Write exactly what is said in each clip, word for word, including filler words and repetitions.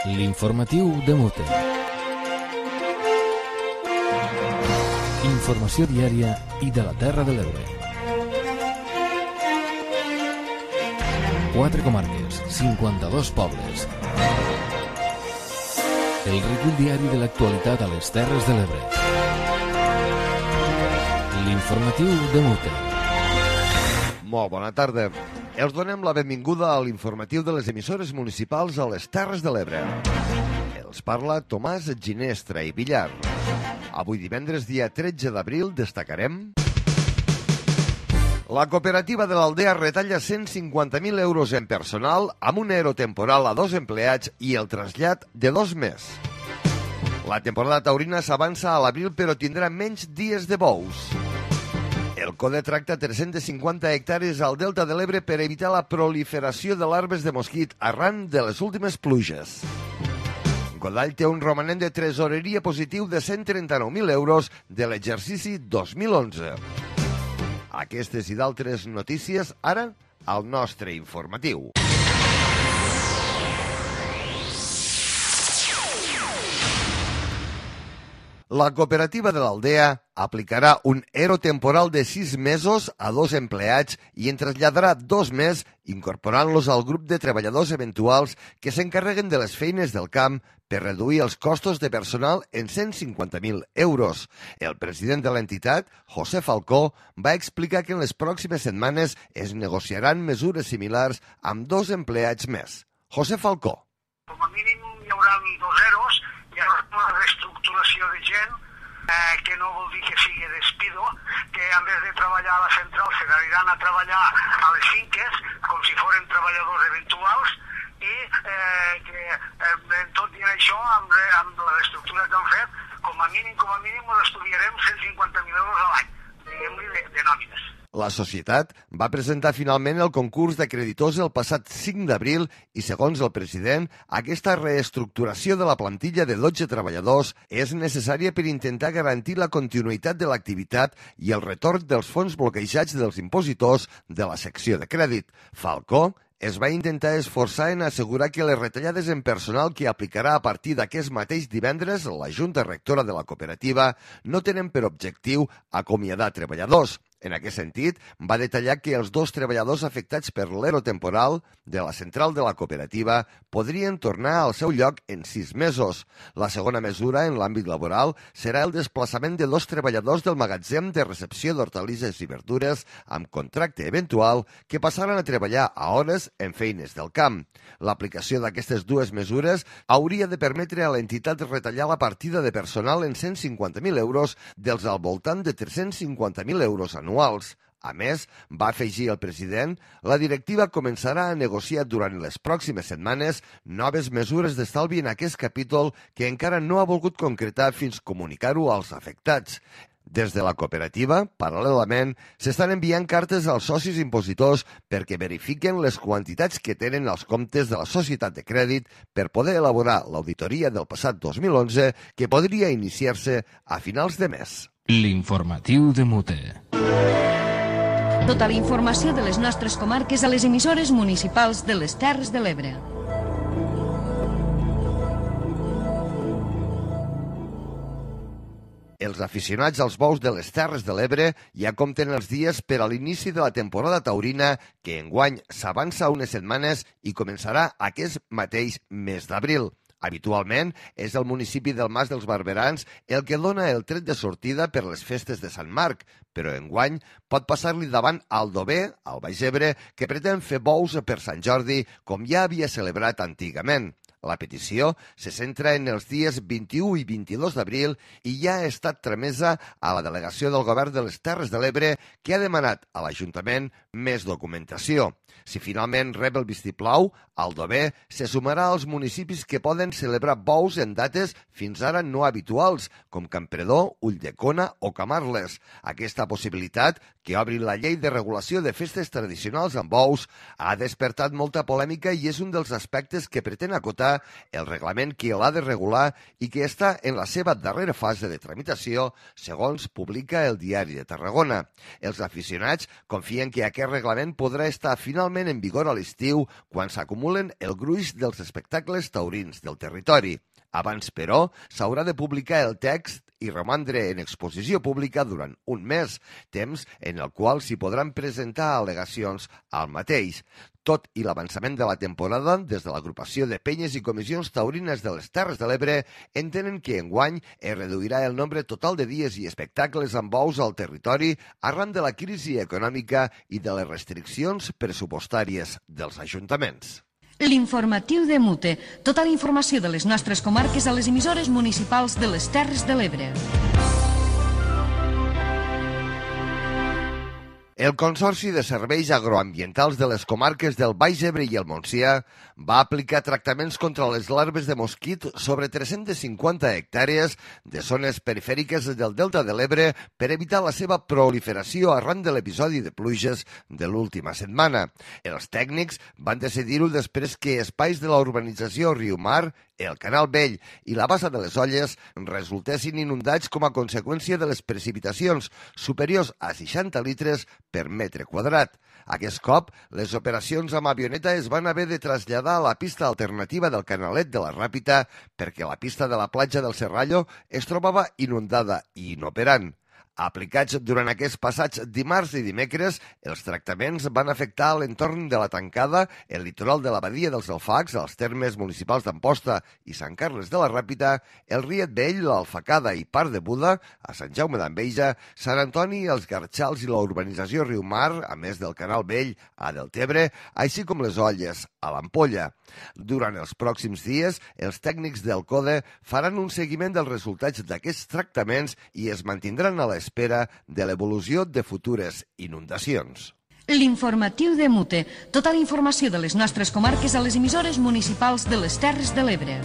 L'informatiu de Mute. Informació diària i de la Terra de l'Ebre. Quatre comarques, cinquanta-dos pobles. El recull diari de l'actualitat a les Terres de l'Ebre. L'informatiu de Mute. Molt bona tarda. Els donem la benvinguda a l'informatiu de les emissores municipals a les Terres de l'Ebre. Els parla Tomàs Ginestra i Villar. Avui divendres, dia tretze d'abril, destacarem... La cooperativa de l'Aldea retalla cent cinquanta mil euros en personal amb un ero temporal a dos empleats i el trasllat de dos més. La temporada taurina s'avança a l'abril però tindrà menys dies de bous. El CODE tracta tres-centes cinquanta hectàrees al Delta de l'Ebre per evitar la proliferació de larves de mosquit arran de les últimes pluges. Godall té un romanent de tresoreria positiu de cent trenta-nou mil euros de l'exercici dos mil onze. Aquestes i d'altres notícies ara al nostre informatiu. La cooperativa de l'Aldea aplicarà un ero temporal de sis mesos a dos empleats i en traslladarà dos més, incorporant-los al grup de treballadors eventuals que s'encarreguen de les feines del camp per reduir els costos de personal en cent cinquanta mil euros. El president de l'entitat, José Falcó, va explicar que en les pròximes setmanes es negociaran mesures similars amb dos empleats més. José Falcó. Com a mínim hi haurà dos eros, hi haurà una reestructuració de gent, eh, que no vol dir que sigui despido, que en vez de treballar a la central se n'aniran a treballar a les finques, com si foren treballadors eventuals, i eh, que eh, en tot i això, amb, amb la reestructura que han fet, com a mínim, com a mínim, ens estudiarem cent cinquanta mil euros a l'any, diguem-li, de, de nòmines. La societat va presentar finalment el concurs de creditors el passat cinc d'abril i, segons el president, aquesta reestructuració de la plantilla de dotze treballadors és necessària per intentar garantir la continuïtat de l'activitat i el retorn dels fons bloquejats dels impositors de la secció de crèdit. Falcó es va intentar esforçar en assegurar que les retallades en personal que aplicarà a partir d'aquest mateix divendres la Junta Rectora de la cooperativa no tenen per objectiu acomiadar treballadors. En aquest sentit, va detallar que els dos treballadors afectats per l'ero temporal de la central de la cooperativa podrien tornar al seu lloc en sis mesos. La segona mesura en l'àmbit laboral serà el desplaçament de dos treballadors del magatzem de recepció d'hortalisses i verdures amb contracte eventual que passaran a treballar a hores en feines del camp. L'aplicació d'aquestes dues mesures hauria de permetre a l'entitat retallar la partida de personal en cent cinquanta mil euros dels al voltant de tres-cents cinquanta mil euros anuals. A més, va afegir el president, la directiva començarà a negociar durant les pròximes setmanes noves mesures d'estalvi en aquest capítol que encara no ha volgut concretar fins comunicar-ho als afectats. Des de la cooperativa, paral·lelament, s'estan enviant cartes als socis impositors perquè verifiquen les quantitats que tenen els comptes de la societat de crèdit per poder elaborar l'auditoria del passat dos mil onze que podria iniciar-se a finals de mes. L'informatiu de Mute. Tota la informació de les nostres comarques a les emissores municipals de les Terres de l'Ebre. Els aficionats als bous de les Terres de l'Ebre ja compten els dies per a l'inici de la temporada taurina que enguany s'avança unes setmanes i començarà aquest mateix mes d'abril. Habitualment és el municipi del Mas dels Barberans el que dona el tret de sortida per les festes de Sant Marc, però enguany pot passar-li davant Aldover, al Baix Ebre, que pretén fer bous per Sant Jordi com ja havia celebrat antigament. La petició se centra en els dies vint-i-u i vint-i-dos d'abril i ja ha estat tramesa a la delegació del govern de les Terres de l'Ebre que ha demanat a l'Ajuntament més documentació. Si finalment rep el vistiplau, Aldover se sumarà als municipis que poden celebrar bous en dates fins ara no habituals, com Campredó, Ulldecona o Camarles. Aquesta possibilitat, que obri la llei de regulació de festes tradicionals amb bous, ha despertat molta polèmica i és un dels aspectes que pretén acotar aprovarà el reglament que l'ha de regular i que està en la seva darrera fase de tramitació, segons publica el Diari de Tarragona. Els aficionats confien que aquest reglament podrà estar finalment en vigor a l'estiu quan s'acumulen el gruix dels espectacles taurins del territori. Abans, però, s'haurà de publicar el text i romandre en exposició pública durant un mes, temps en el qual s'hi podran presentar al·legacions al mateix. Tot i l'avançament de la temporada, des de l'agrupació de penyes i comissions taurines de les Terres de l'Ebre entenen que enguany es reduirà el nombre total de dies i espectacles amb bous al territori arran de la crisi econòmica i de les restriccions pressupostàries dels ajuntaments. L'informatiu de Mute. Tota la informació de les nostres comarques a les emissores municipals de les Terres de l'Ebre. El Consorci de Serveis Agroambientals de les comarques del Baix Ebre i el Montsià va aplicar tractaments contra les larves de mosquit sobre tres-centes cinquanta hectàrees de zones perifèriques del Delta de l'Ebre per evitar la seva proliferació arran de l'episodi de pluges de l'última setmana. Els tècnics van decidir-ho després que espais de la urbanització Riumar, el Canal Vell i la Bassa de les Olles resultessin inundats com a conseqüència de les precipitacions superiors a seixanta litres per metre quadrat. Aquest cop, les operacions amb avioneta es van haver de traslladar a la pista alternativa del Canalet de la Ràpita perquè la pista de la platja del Serrallo es trobava inundada i inoperant. Aplicats durant aquests passats dimarts i dimecres, els tractaments van afectar l'entorn de la Tancada, el litoral de la Badia dels Alfacs, els termes municipals d'Amposta i Sant Carles de la Ràpita, el Riet Vell, l'Alfacada i part de Buda, a Sant Jaume d'Enveja, Sant Antoni, els Garxals i la urbanització Riumar, a més del Canal Vell a Deltebre, així com les Olles a l'Ampolla. Durant els pròxims dies, els tècnics del CODE faran un seguiment dels resultats d'aquests tractaments i es mantindran a l'espera de l'evolució de futures inundacions. L'informatiu de Mute. Tota la informació de les nostres comarques a les emissores municipals de les Terres de l'Ebre.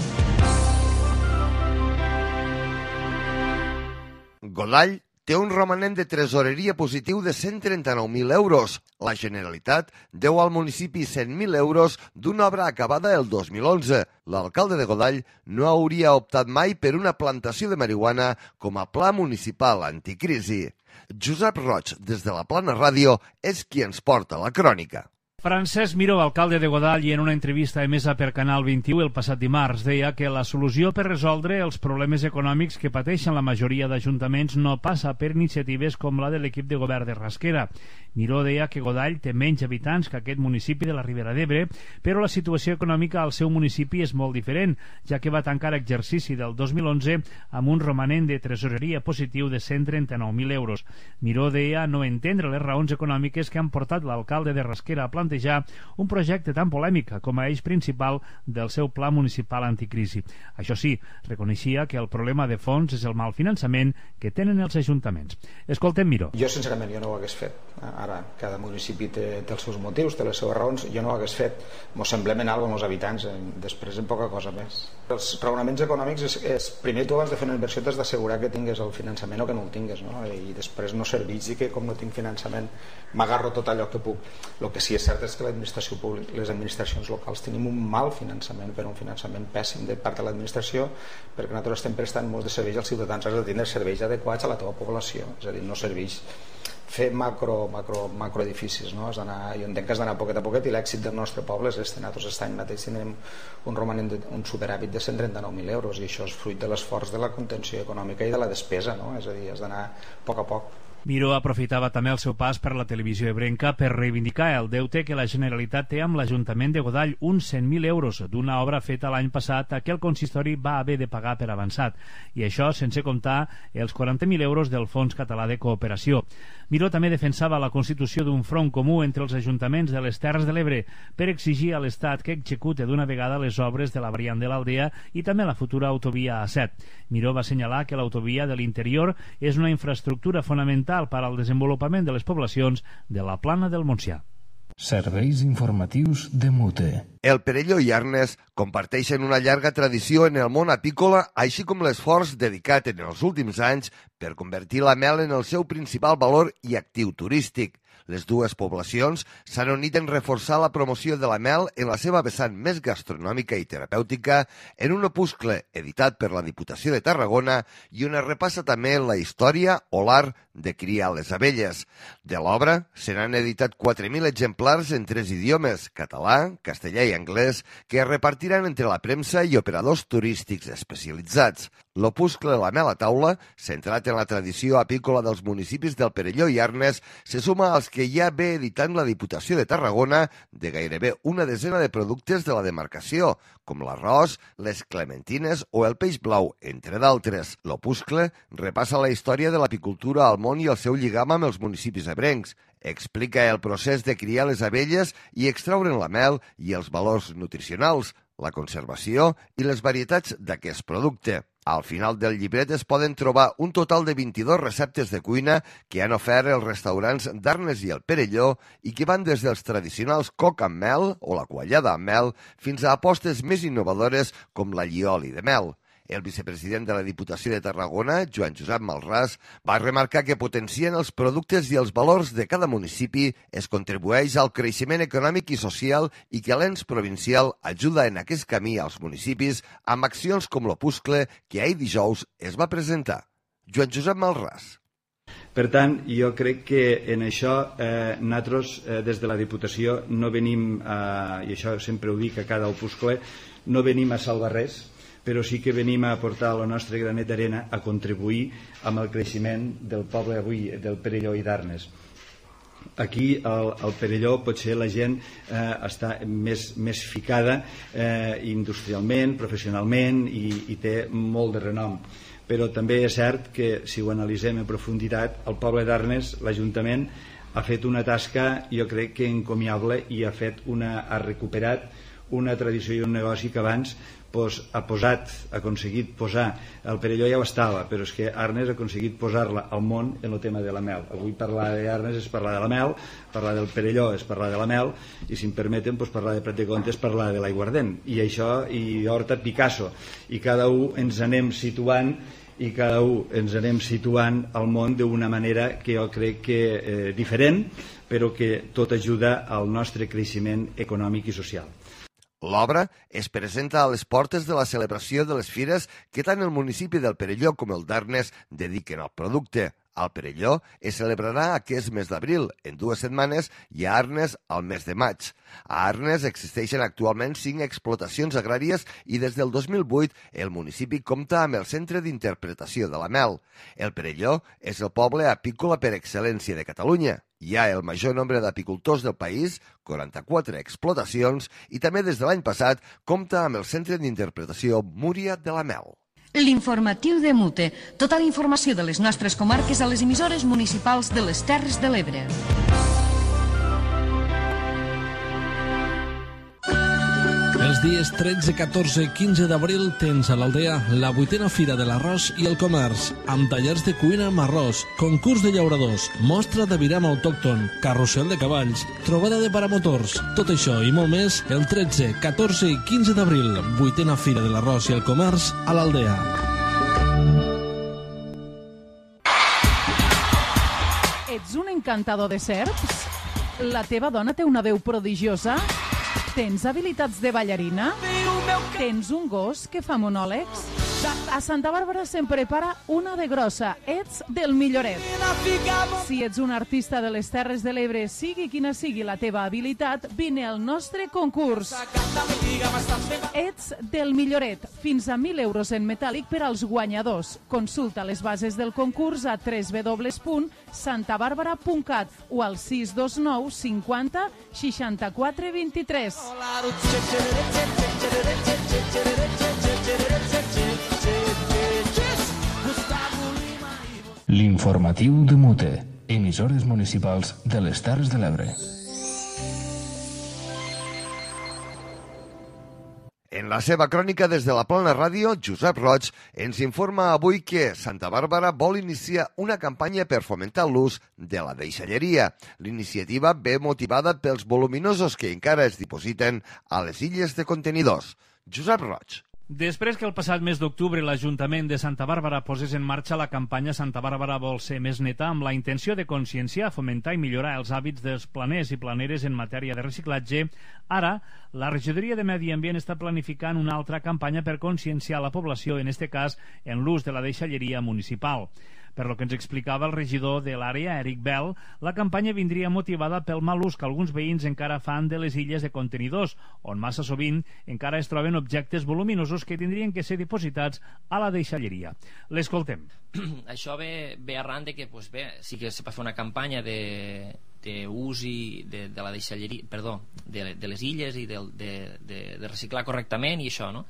Godall té un romanent de tresoreria positiu de cent trenta-nou mil euros. La Generalitat deu al municipi cent mil euros d'una obra acabada el dos mil onze. L'alcalde de Godall no hauria optat mai per una plantació de marihuana com a pla municipal anticrisi. Josep Roig, des de la Plana Ràdio, és qui ens porta la crònica. Francesc Miró, alcalde de Godall, i en una entrevista emesa per Canal vint-i-u el passat dimarts, deia que la solució per resoldre els problemes econòmics que pateixen la majoria d'ajuntaments no passa per iniciatives com la de l'equip de govern de Rasquera. Miró deia que Godall té menys habitants que aquest municipi de la Ribera d'Ebre, però la situació econòmica al seu municipi és molt diferent, ja que va tancar exercici del dos mil onze amb un romanent de tresoreria positiu de cent trenta-nou mil euros. Miró deia no entendre les raons econòmiques que han portat l'alcalde de Rasquera a plantejar un projecte tan polèmic com a eix principal del seu pla municipal anticrisi. Això sí, reconeixia que el problema de fons és el mal finançament que tenen els ajuntaments. Escoltem Miró. Jo, sincerament, jo no ho hagués fet. Ara, cada municipi té, té els seus motius, té les seves raons. Jo no ho hagués fet. Mos semblem en alguna cosa amb els habitants, després en poca cosa més. Els raonaments econòmics és, és primer tu abans de fer una inversió t'has d'assegurar que tingues el finançament o que no el tingues, no? I després no serveix dir que com no tinc finançament m'agarro tot allò que puc. El que sí és cert és que l'administració pública, les administracions locals tenim un mal finançament, però un finançament pèssim de part de l'administració, perquè nosaltres estem prestant molts de serveis als ciutadans, has de tindre serveis adequats a la teva població, és a dir, no serveix fer macro, macro, macro edificis, no? Has d'anar, jo entenc que has d'anar poquet a poquet, i l'èxit del nostre poble és este. Nosaltres aquest any mateix tindrem un romanent de, un superàvit de cent trenta-nou mil euros, i això és fruit de l'esforç de la contenció econòmica i de la despesa, no? És a dir, has d'anar a poc a poc. Miró aprofitava també el seu pas per la televisió ebrenca per reivindicar el deute que la Generalitat té amb l'Ajuntament de Godall, uns cent mil euros d'una obra feta l'any passat a què el consistori va haver de pagar per avançat, i això sense comptar els quaranta mil euros del Fons Català de Cooperació. Miró també defensava la constitució d'un front comú entre els ajuntaments de les Terres de l'Ebre per exigir a l'Estat que execute d'una vegada les obres de la variant de l'Aldea i també la futura autovia A set. Miró va assenyalar que l'autovia de l'interior és una infraestructura fonamental per al desenvolupament de les poblacions de la Plana del Montsià. Serveis informatius de Mute. El Perelló i Arnes comparteixen una llarga tradició en el món apícola, així com l'esforç dedicat en els últims anys per convertir la mel en el seu principal valor i actiu turístic. Les dues poblacions s'han unit en reforçar la promoció de la mel en la seva vessant més gastronòmica i terapèutica en un opuscle editat per la Diputació de Tarragona i on es repassa també la història o l'art de criar les abelles. De l'obra se n'han editat quatre mil exemplars en tres idiomes, català, castellà i anglès, que es repartiran entre la premsa i operadors turístics especialitzats. L'opuscle La mel a taula, centrat en la tradició apícola dels municipis del Perelló i Arnes, se suma als que ja ve editant la Diputació de Tarragona de gairebé una desena de productes de la demarcació, com l'arròs, les clementines o el peix blau, entre d'altres. L'opuscle repassa la història de l'apicultura al món i el seu lligam amb els municipis ebrencs. Explica el procés de criar les abelles i extraure'n la mel i els valors nutricionals, la conservació i les varietats d'aquest producte. Al final del llibret es poden trobar un total de vint-i-dues receptes de cuina que han ofert els restaurants d'Arnes i el Perelló i que van des dels tradicionals coc amb mel o la quallada amb mel fins a apostes més innovadores com l'allioli de mel. El vicepresident de la Diputació de Tarragona, Joan Josep Malràs, va remarcar que potenciant els productes i els valors de cada municipi es contribueix al creixement econòmic i social i que l'ens provincial ajuda en aquest camí als municipis amb accions com l'opuscle que ahir dijous es va presentar. Joan Josep Malràs. Per tant, jo crec que en això eh, nosaltres eh, des de la Diputació no venim, eh, i això sempre ho dic a cada opuscle, no venim a salvar res, però sí que venim a aportar el nostre granet d'arena a contribuir amb el creixement del poble avui, del Perelló i d'Arnes. Aquí al, al Perelló potser la gent eh, està més, més ficada eh, industrialment, professionalment i, i té molt de renom. Però també és cert que si ho analitzem en profunditat, el poble d'Arnes, l'Ajuntament, ha fet una tasca, jo crec que encomiable, i ha, fet una, ha recuperat una tradició i un negoci que abans pues, ha posat, ha aconseguit posar, el Perelló ja ho estava, però és que Arnes ha aconseguit posar-la al món en el tema de la mel. Avui parlar d'Arnes és parlar de la mel, parlar del Perelló és parlar de la mel, i si em permeten pues, parlar de Prat de Comte és parlar de l'aiguardent, i això, i Horta Picasso, i cada un ens anem situant i cada un ens anem situant al món d'una manera que jo crec que eh, diferent, però que tot ajuda al nostre creixement econòmic i social. L'obra es presenta a les portes de la celebració de les fires que tant el municipi del Perelló com el d'Arnes dediquen al producte. Al Perelló es celebrarà aquest mes d'abril, en dues setmanes, i a Arnes al mes de maig. A Arnes existeixen actualment cinc explotacions agràries i des del dos mil vuit el municipi compta amb el Centre d'Interpretació de la Mel. El Perelló és el poble apícola per excel·lència de Catalunya. Hi ha el major nombre d'apicultors del país, quaranta-quatre explotacions, i també des de l'any passat compta amb el Centre d'Interpretació Múria de la Mel. L'informatiu de Mute. Tota la informació de les nostres comarques a les emissores municipals de les Terres de l'Ebre. Els dies tretze, catorze i quinze d'abril tens a l'Aldea la vuitena Fira de l'Arròs i el Comerç, amb tallers de cuina amb arròs, concurs de llauradors, mostra de viram autòcton, carrusel de cavalls, trobada de paramotors. Tot això i molt més el tretze, catorze i quinze d'abril, vuitena Fira de l'Arròs i el Comerç a l'Aldea. Ets un encantador de serps? La teva dona té una veu prodigiosa? Tens habilitats de ballarina? Tens un gos que fa monòlegs? A Santa Bàrbara se'n prepara una de grossa. Ets del milloret. Si ets un artista de les Terres de l'Ebre, sigui quina sigui la teva habilitat, vine al nostre concurs. Ets del milloret. Fins a mil euros en metàl·lic per als guanyadors. Consulta les bases del concurs a w w w punt santa bàrbara punt cat o al sis dos nou cinquanta seixanta-quatre vint-i-tres. L'informatiu de Mute, emissores municipals de les Terres de l'Ebre. En la seva crònica des de la Plana Ràdio, Josep Roig ens informa avui que Santa Bàrbara vol iniciar una campanya per fomentar l'ús de la deixalleria. L'iniciativa ve motivada pels voluminosos que encara es dipositen a les illes de contenidors. Josep Roig. Després que el passat mes d'octubre l'Ajuntament de Santa Bàrbara posés en marxa la campanya Santa Bàrbara vol ser més neta amb la intenció de conscienciar, fomentar i millorar els hàbits dels planers i planeres en matèria de reciclatge, ara la Regidoria de Medi Ambient està planificant una altra campanya per conscienciar la població, en este cas en l'ús de la deixalleria municipal. Per lo que ens explicava el regidor de l'àrea, Eric Bell, la campanya vindria motivada pel mal ús que alguns veïns encara fan de les illes de contenidors, on massa sovint encara es troben objectes voluminosos que tindrien que ser dipositats a la deixalleria. L'escoltem. Això ve, ve arran de que pues bé, sí que se va fer una campanya de d'ús i de, de la deixalleria, perdó, de, de les illes i de, de, de, de reciclar correctament i això, no?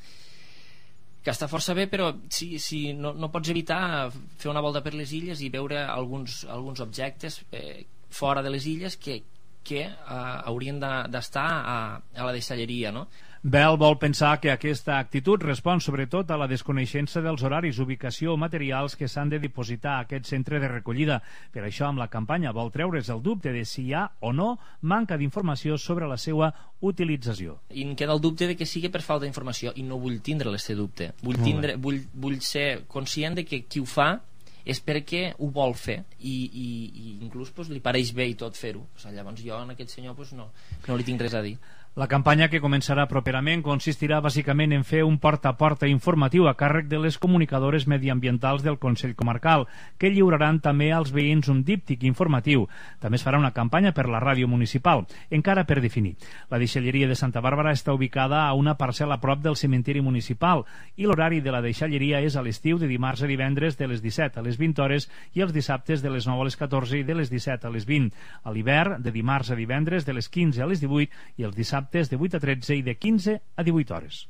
Que està força bé, però si, si no, no pots evitar fer una volta per les illes i veure alguns, alguns objectes eh, fora de les illes que, que eh, haurien d'estar a, a la deixalleria, no? Bell vol pensar que aquesta actitud respon sobretot a la desconeixença dels horaris, ubicació o materials que s'han de dipositar a aquest centre de recollida. Per això, amb la campanya vol treure's el dubte de si hi ha o no manca d'informació sobre la seva utilització. I em queda el dubte de que sigui per falta d'informació i no vull tindre aquest dubte. Vull, tindre, vull, vull ser conscient de que qui ho fa és perquè ho vol fer i, i, i inclús pues, li pareix bé i tot fer-ho. O sigui, llavors jo en aquest senyor pues, no, no li tinc res a dir. La campanya, que començarà properament, consistirà bàsicament en fer un porta a porta informatiu a càrrec de les comunicadores mediambientals del Consell Comarcal, que lliuraran també als veïns un díptic informatiu. També es farà una campanya per la ràdio municipal, encara per definir. La deixalleria de Santa Bàrbara està ubicada a una parcel·la a prop del cementiri municipal i l'horari de la deixalleria és a l'estiu de dimarts a divendres de les disset a les vint hores i els dissabtes de les nou a les catorze i de les disset a les vint. A l'hivern, de dimarts a divendres de les quinze a les divuit i els dissabtes de vuit a tretze i de quinze a divuit hores.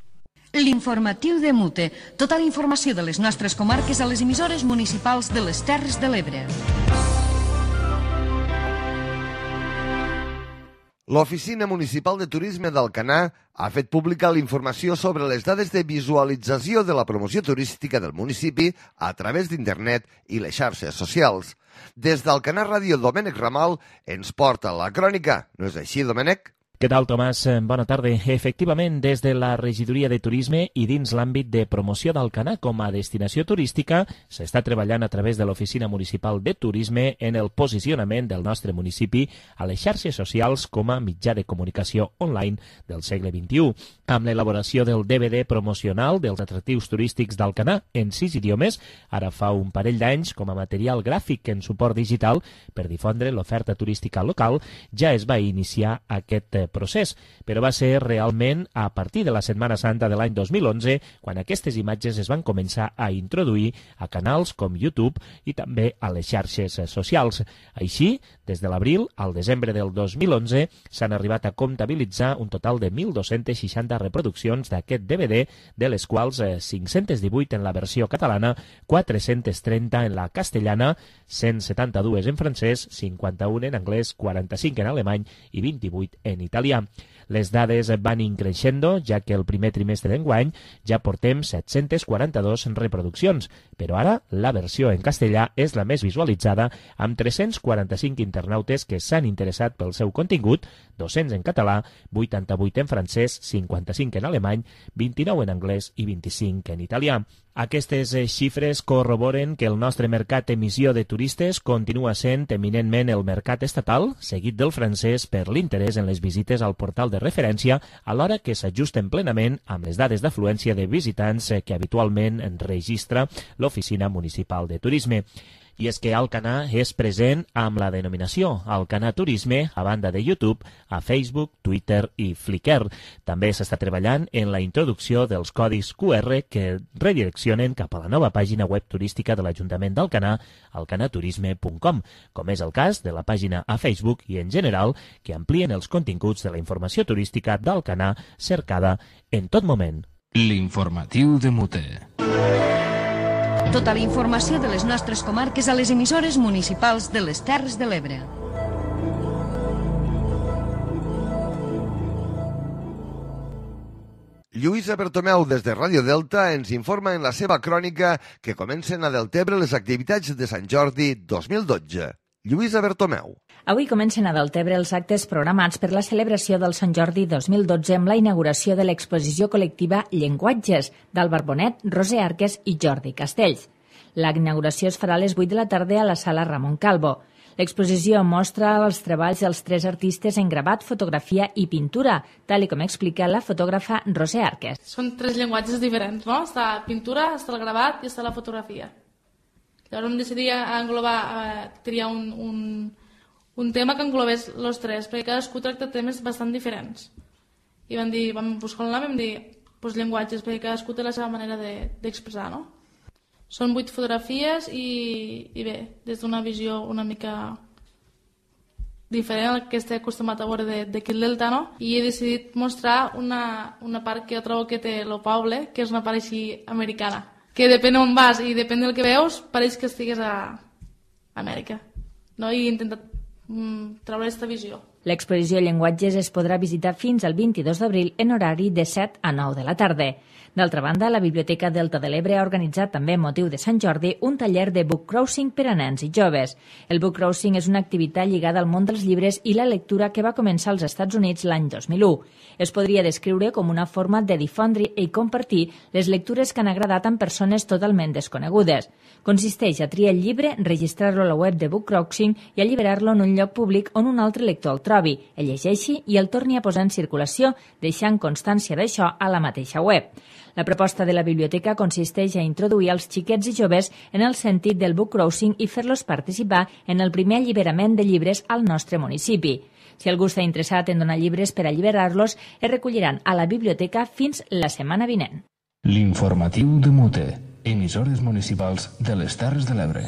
L'informatiu de Mute. Tota la informació de les nostres comarques a les emissores municipals de les Terres de l'Ebre. L'Oficina Municipal de Turisme d'Alcanar ha fet pública la informació sobre les dades de visualització de la promoció turística del municipi a través d'internet i les xarxes socials. Des d'Alcanar Ràdio, Domènec Ramal ens porta la crònica. No és així, Domènec? Què tal, Tomàs? Bona tarda. Efectivament, des de la Regidoria de Turisme i dins l'àmbit de promoció d'Alcanar com a destinació turística, s'està treballant a través de l'Oficina Municipal de Turisme en el posicionament del nostre municipi a les xarxes socials com a mitjà de comunicació online del segle vint-i-u, amb l'elaboració del D V D promocional dels atractius turístics d'Alcanar en sis idiomes, ara fa un parell d'anys com a material gràfic en suport digital per difondre l'oferta turística local, ja es va iniciar aquest procés, però va ser realment a partir de la Setmana Santa de l'any dos mil onze quan aquestes imatges es van començar a introduir a canals com YouTube i també a les xarxes socials. Així, des de l'abril al desembre del dos mil onze s'han arribat a comptabilitzar un total de mil dos-centes seixanta reproduccions d'aquest D V D, de les quals cinc-centes divuit en la versió catalana, quatre-centes trenta en la castellana, cent setanta-dues en francès, cinquanta-una en anglès, quaranta-cinc en alemany i vint-i-vuit en italià. Les dades van increixendo, ja que el primer trimestre d'enguany ja portem set-centes quaranta-dues reproduccions, però ara la versió en castellà és la més visualitzada, amb tres-cents quaranta-cinc internautes que s'han interessat pel seu contingut, dos-cents en català, vuitanta-vuit en francès, cinquanta-cinc en alemany, vint-i-nou en anglès i vint-i-cinc en italià. Aquestes xifres corroboren que el nostre mercat d'emissió de turistes continua sent eminentment el mercat estatal, seguit del francès per l'interès en les visites al portal de referència, alhora que s'ajusten plenament amb les dades d'afluència de visitants que habitualment registra l'Oficina Municipal de Turisme. I és que Alcanar és present amb la denominació Alcanar Turisme a banda de YouTube, a Facebook, Twitter i Flickr. També s'està treballant en la introducció dels codis Q R que redireccionen cap a la nova pàgina web turística de l'Ajuntament d'Alcanar, alcanarturisme punt com, com és el cas de la pàgina a Facebook i, en general, que amplien els continguts de la informació turística d'Alcanar cercada en tot moment. L'informatiu de Mute. Tota la informació de les nostres comarques a les emissores municipals de les Terres de l'Ebre. Lluïsa Bertomeu, des de Ràdio Delta, ens informa en la seva crònica que comencen a Deltebre les activitats de Sant Jordi dos mil dotze. Lluïsa Bertomeu. Avui comencen a Deltebre els actes programats per la celebració del Sant Jordi dos mil dotze amb la inauguració de l'exposició col·lectiva Llenguatges d'Àlvar Bonet, Roser Arques i Jordi Castells. La inauguració es farà a les vuit de la tarda a la sala Ramon Calvo. L'exposició mostra els treballs dels tres artistes en gravat, fotografia i pintura, tal com explica la fotògrafa Roser Arques. Són tres llenguatges diferents, no? Està pintura, està el gravat i està la fotografia. Llavors vam decidir englobar, eh, triar un, un, un tema que englobés els tres, perquè cadascú tracta temes bastant diferents. I vam dir, vam buscar un nom i vam dir, doncs llenguatges, perquè cadascú té la seva manera d'expressar, de, no? Són vuit fotografies i, i bé, des d'una visió una mica diferent al que estic acostumat a veure d'aquí al Delta, no? I he decidit mostrar una, una part que jo trobo que té el poble, que és una part així americana, que depèn on vas i depèn del que veus, pareix que estigues a Amèrica, no? I he intentat mm, treure aquesta visió. L'exposició Llenguatges es podrà visitar fins al vint-i-dos d'abril en horari de set a nou de la tarda. D'altra banda, la Biblioteca Delta de l'Ebre ha organitzat també amb motiu de Sant Jordi un taller de book crossing per a nens i joves. El book crossing és una activitat lligada al món dels llibres i la lectura que va començar als Estats Units l'any dos mil u. Es podria descriure com una forma de difondre i compartir les lectures que han agradat amb persones totalment desconegudes. Consisteix a triar el llibre, registrar-lo a la web de book crossing i alliberar-lo en un lloc públic on un altre lector el trobi, el llegeixi i el torni a posar en circulació, deixant constància d'això a la mateixa web. La proposta de la biblioteca consisteix a introduir els xiquets i joves en el sentit del book crossing i fer-los participar en el primer alliberament de llibres al nostre municipi. Si algú està interessat en donar llibres per alliberar-los, es recolliran a la biblioteca fins la setmana vinent. L'informatiu de Mute, emissores municipals de les Terres de l'Ebre.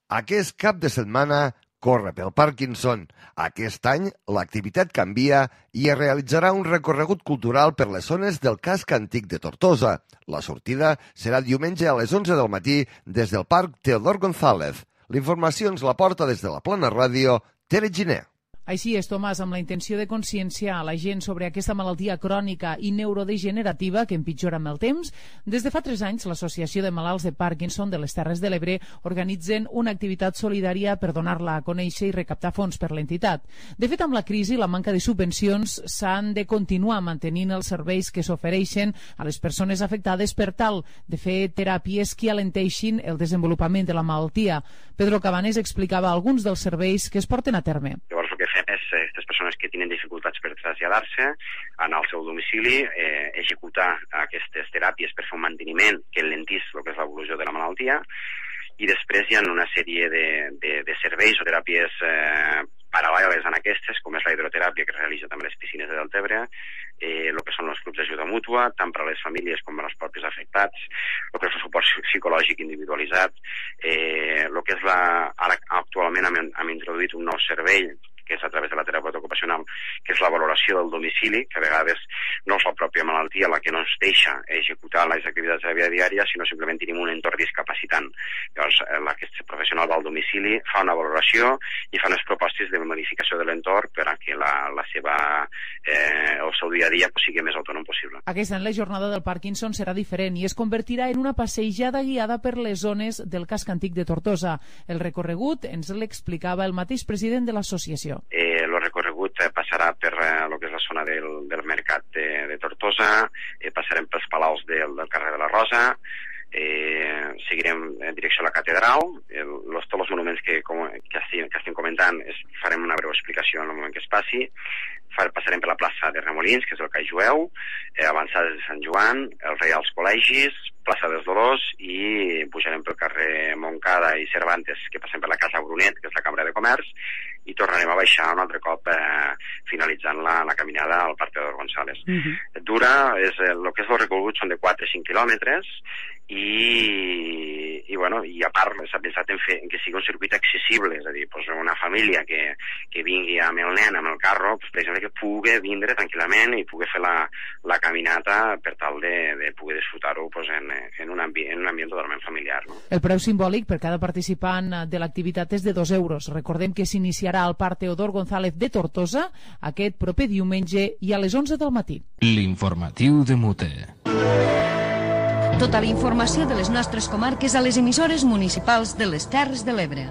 Aquest cap de setmana corre pel Parkinson. Aquest any l'activitat canvia i es realitzarà un recorregut cultural per les zones del casc antic de Tortosa. La sortida serà diumenge a les onze del matí des del Parc Teodor González. La informació ens la porta des de la Plana Ràdio, Tere Giner. Així és, Tomàs, amb la intenció de conscienciar a la gent sobre aquesta malaltia crònica i neurodegenerativa que empitjora amb el temps, des de fa tres anys l'Associació de Malalts de Parkinson de les Terres de l'Ebre organitzen una activitat solidària per donar-la a conèixer i recaptar fons per l'entitat. De fet, amb la crisi i la manca de subvencions s'han de continuar mantenint els serveis que s'ofereixen a les persones afectades per tal de fer teràpies que alenteixin el desenvolupament de la malaltia. Pedro Cabanes explicava alguns dels serveis que es porten a terme. Llavors, el que fem és aquestes persones que tenen dificultats per traslladar-se, anar al seu domicili, eh, executar aquestes teràpies per fer un manteniment que alentís el que és l'evolució de la malaltia, i després hi ha una sèrie de, de, de serveis o teràpies eh, paral·leles a aquestes, com és la hidroteràpia que es realitza també a les piscines de Deltebre, eh, el que són els clubs d'ajuda mútua, tant per a les famílies com per als propis afectats, el que és el suport psicològic individualitzat, eh, el que és la... Ara actualment hem, hem introduït un nou servei que és a través de la terapeuta ocupacional, que és la valoració del domicili, que a vegades no és la pròpia malaltia la que no ens deixa executar les activitats de la vida diària, sinó simplement tenim un entorn discapacitant. Llavors, aquest professional va al domicili, fa una valoració i fa unes propostes de modificació de l'entorn per a que la, la seva, eh, el seu dia a dia pues, sigui més autònom possible. Aquest any la jornada del Parkinson serà diferent i es convertirà en una passejada guiada per les zones del casc antic de Tortosa. El recorregut ens l'explicava el mateix president de l'associació. Eh, el recorregut eh, passarà per eh, lo que és la zona del, del mercat de, de Tortosa, eh, passarem pels palaus del, del carrer de la Rosa, eh, seguirem en direcció a la catedral, el, los, tots els monuments que, com, que, estem, que estem comentant es, farem una breu explicació en el moment que es passi, Far, passarem per la plaça de Remolins, que és el Call Jueu, eh, avançades de Sant Joan, el Rei als Col·legis, plaça dels Dolors i pujarem pel carrer Montcada i Cervantes, que passem per la Casa Brunet, que és la Cambra de Comerç, i tornarem a baixar un altre cop eh, finalitzant la, la caminada al Parc Teodor González. Uh-huh. Dura, és, el que és el recorregut són de quatre a cinc quilòmetres i, i, bueno, i a part s'ha pensat en, fer, en que sigui un circuit accessible, és a dir, pues, una família que, que vingui amb el nen, amb el carro, pues, per exemple, que pugui vindre tranquil·lament i pugui fer la, la caminata per tal de, de poder disfrutar-ho pues, en, en, un ambi en un ambient totalment familiar. No? El preu simbòlic per cada participant de l'activitat és de dos euros. Recordem que s'iniciarà al Parc Teodor González de Tortosa aquest proper diumenge i a les onze del matí. L'informatiu de Mute. Tota la informació de les nostres comarques a les emissores municipals de les Terres de l'Ebre.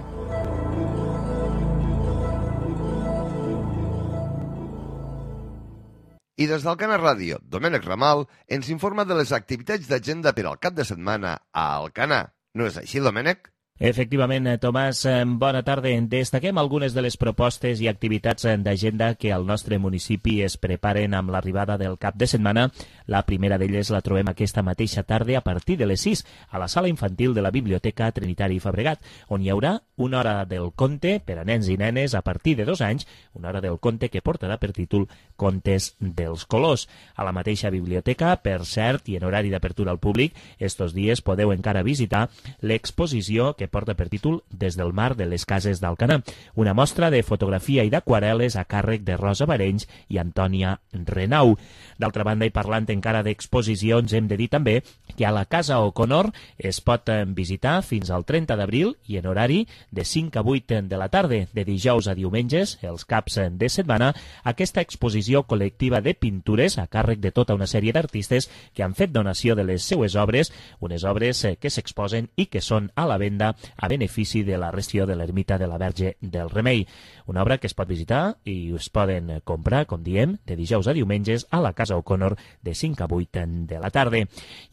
I des d'Alcana Ràdio, Domènec Ramal ens informa de les activitats d'agenda per al cap de setmana a Alcana. No és així, Domènec? Efectivament, Tomàs, bona tarda. Destaquem algunes de les propostes i activitats d'agenda que al nostre municipi es preparen amb l'arribada del cap de setmana. La primera d'elles la trobem aquesta mateixa tarda a partir de les sis a la sala infantil de la Biblioteca Trinitari Fabregat, on hi haurà una hora del conte per a nens i nenes a partir de dos anys, una hora del conte que portarà per títol Contes dels Colors. A la mateixa biblioteca, per cert, i en horari d'apertura al públic, estos dies podeu encara visitar l'exposició que que porta per títol Des del mar de les cases d'Alcanar, una mostra de fotografia i d'aquarel·les a càrrec de Rosa Barenys i Antònia Renau. D'altra banda, i parlant encara d'exposicions, hem de dir també que a la Casa O'Connor es pot visitar fins al trenta d'abril i en horari de cinc a vuit de la tarda, de dijous a diumenges, els caps de setmana, aquesta exposició col·lectiva de pintures a càrrec de tota una sèrie d'artistes que han fet donació de les seues obres, unes obres que s'exposen i que són a la venda a benefici de la restauració de l'ermita de la Verge del Remei. Una obra que es pot visitar i es poden comprar, com diem, de dijous a diumenges a la Casa O'Connor de cinc a vuit de la tarda.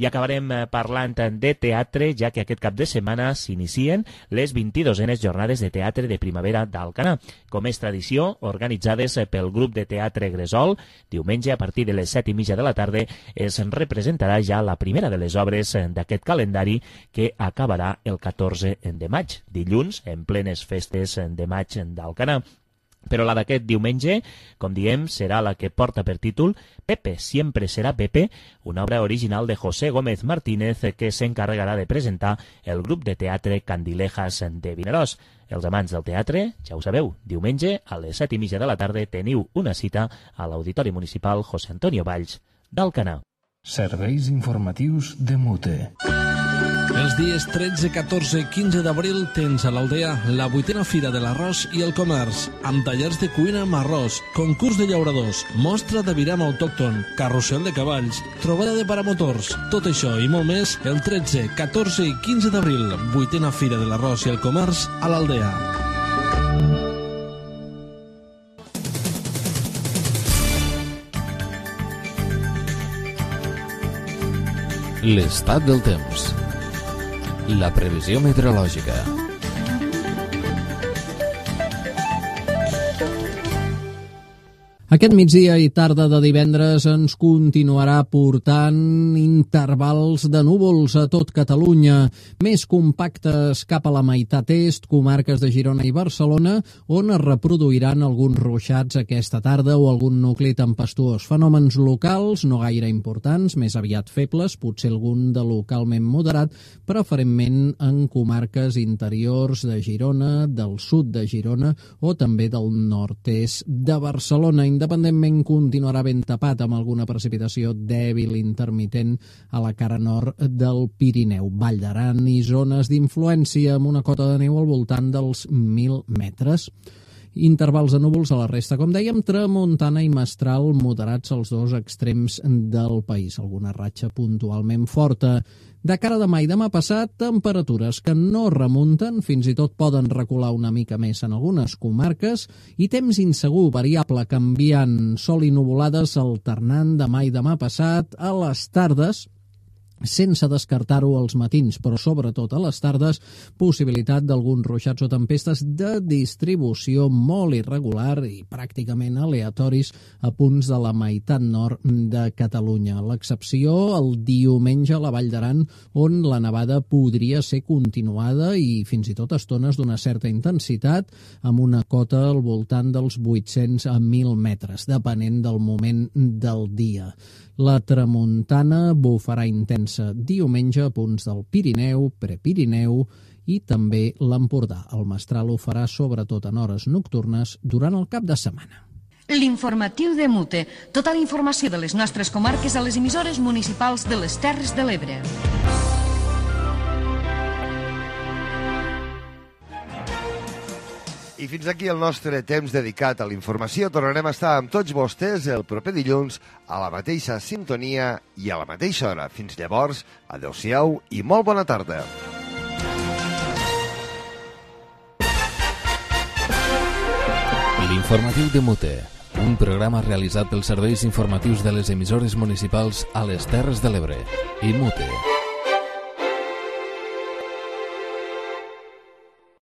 I acabarem parlant de teatre, ja que aquest cap de setmana s'inicien les vint-i-dosenes jornades de teatre de primavera d'Alcanar. Com és tradició, organitzades pel grup de teatre Gresol, diumenge a partir de les set i mitja de la tarda es representarà ja la primera de les obres d'aquest calendari que acabarà el catorze de maig, dilluns, en plenes festes de maig d'Alcanar. Però la d'aquest diumenge, com diem, serà la que porta per títol Pepe, siempre será Pepe, una obra original de José Gómez Martínez que s'encarregarà de presentar el grup de teatre Candilejas de Vinaròs. Els amants del teatre, ja ho sabeu, diumenge a les set i mitja de la tarda teniu una cita a l'Auditori Municipal José Antonio Valls d'Alcanar. Serveis informatius de Mute. Els dies tretze, catorze, quinze d'abril tens a l'Aldea la vuitena Fira de l'Arròs i el Comerç, amb tallers de cuina amb arròs, concurs de llauradors, mostra de viram autòcton, carrusel de cavalls, trobada de paramotors. Tot això i molt més el tretze, catorze i quinze d'abril, vuitena Fira de l'Arròs i el Comerç a l'Aldea. L'estat del temps. La previsió meteorològica. Aquest migdia i tarda de divendres ens continuarà portant intervals de núvols a tot Catalunya, més compactes cap a la meitat est, comarques de Girona i Barcelona, on es reproduiran alguns ruixats aquesta tarda o algun nucli tempestuós. Fenòmens locals no gaire importants, més aviat febles, potser algun de localment moderat, preferentment en comarques interiors de Girona, del sud de Girona o també del nord-est de Barcelona. Independentment continuarà ben tapat amb alguna precipitació dèbil intermitent a la cara nord del Pirineu, Vall d'Aran i zones d'influència amb una cota de neu al voltant dels mil metres. Intervals de núvols a la resta, com dèiem, tramuntana i mestral moderats als dos extrems del país, alguna ratxa puntualment forta. De cara a demà i demà passat, temperatures que no remunten, fins i tot poden recular una mica més en algunes comarques, i temps insegur, variable, canviant, sol i nuvolades alternant demà i demà passat a les tardes, sense descartar-ho als matins, però sobretot a les tardes, possibilitat d'alguns ruixats o tempestes de distribució molt irregular i pràcticament aleatoris a punts de la meitat nord de Catalunya. L'excepció el diumenge a la Vall d'Aran, on la nevada podria ser continuada i fins i tot estones d'una certa intensitat, amb una cota al voltant dels vuit-cents a mil metres, depenent del moment del dia. La tramuntana bufarà intensa diumenge a punts del Pirineu, Prepirineu i també l'Empordà. El mestral ho farà sobretot en hores nocturnes durant el cap de setmana. L'informatiu de Mute. Tota la informació de les nostres comarques a les emissores municipals de les Terres de l'Ebre. I fins aquí el nostre temps dedicat a la informació. Tornarem a estar amb tots vostès el proper dilluns a la mateixa sintonia i a la mateixa hora. Fins llavors, adeu-siau i molt bona tarda. L'informatiu de Mute, un programa realitzat pels serveis informatius de les emissores municipals a les Terres de l'Ebre i Mute.